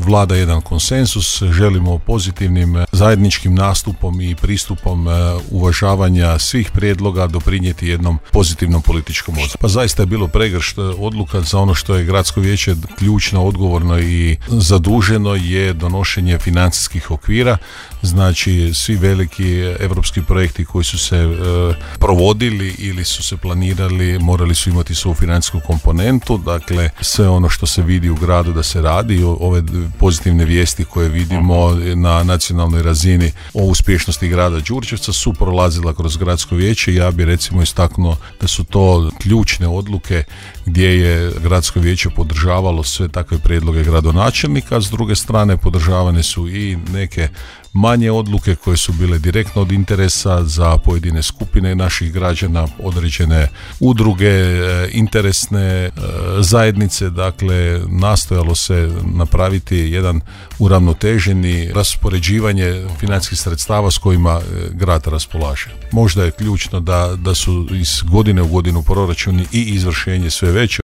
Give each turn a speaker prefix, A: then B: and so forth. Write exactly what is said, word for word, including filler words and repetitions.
A: vlada jedan konsensus, želimo pozitivnim zajedničkim nastupom i pristupom uvažavanja svih prijedloga doprinijeti jednom pozitivnom političkom odnosu. Pa zaista je bilo pregršt odluka za ono što je gradsko vijeće ključno, odgovorno i zaduženo je donošenje financijskih okvira. Znači svi veliki europski projekti koji su se e, provodili ili su se planirali morali su imati svoju financijsku komponentu, dakle sve ono što se vidi u gradu da se radi, ove pozitivne vijesti koje vidimo na nacionalnoj razini o uspješnosti grada Đurđevca su prolazila kroz gradsko vijeće. Ja bi recimo istaknuo da su to ključne odluke gdje je gradsko vijeće podržavalo sve takve prijedloge gradonačelnika, a s druge strane podržavane su i neke manje odluke koje su bile direktno od interesa za pojedine skupine naših građana, određene udruge, interesne zajednice. Dakle, nastojalo se napraviti jedan uravnoteženi raspoređivanje financijskih sredstava s kojima grad raspolaže. Možda je ključno da, da su iz godine u godinu proračuni i izvršenje sve veće.